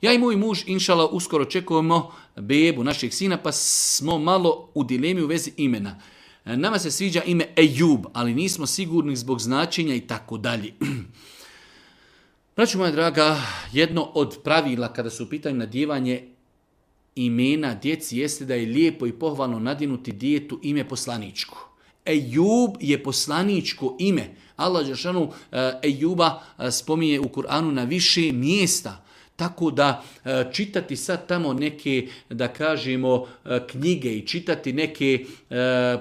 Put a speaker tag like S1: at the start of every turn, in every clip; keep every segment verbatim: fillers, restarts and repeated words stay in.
S1: Ja i moj muž, inšala, uskoro očekujemo bebu našeg sina, pa smo malo u dilemi u vezi imena. Nama se sviđa ime Ejub, ali nismo sigurni zbog značenja i tako dalje. Braćo moja draga, jedno od pravila kada su u pitanju nadjevanje imena djeci jeste da je lijepo i pohvalno nadjenuti djetetu ime poslaničko. Ejub je poslaničko ime. Allah dželešanu Ejuba spominje u Kur'anu na više mjesta. Tako da čitati sad tamo neke, da kažemo, knjige i čitati neke,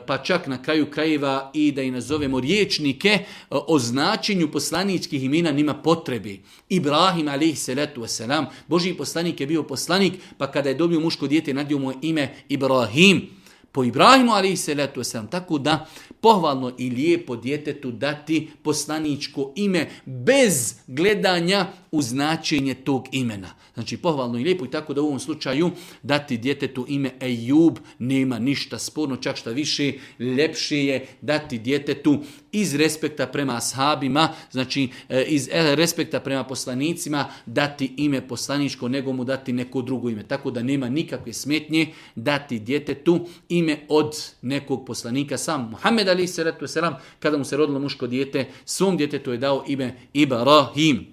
S1: pa čak na kraju krajeva i da i nazovemo riječnike o značenju poslaničkih imena nima potrebe. Ibrahim alejhi salatu vesselam, Božji poslanik je bio poslanik, pa kada je dobio muško dijete nadio mu ime Ibrahim. Po Ibrahimu alejhi salatu vesselam, tako da pohvalno i lijepo djetetu dati poslaničko ime bez gledanja u značenje tog imena. Znači pohvalno i lijepo i tako da u ovom slučaju dati djetetu ime Ejub nema ništa sporno, čak šta više ljepše je dati djetetu iz respekta prema ashabima, znači iz respekta prema poslanicima dati ime poslaničko nego mu dati neko drugo ime. Tako da nema nikakve smetnje dati djetetu ime od nekog poslanika. Sam Muhammed alejhi salatu vesselam kada mu se rodilo muško dijete, svom djetetu je dao ime Ibrahim.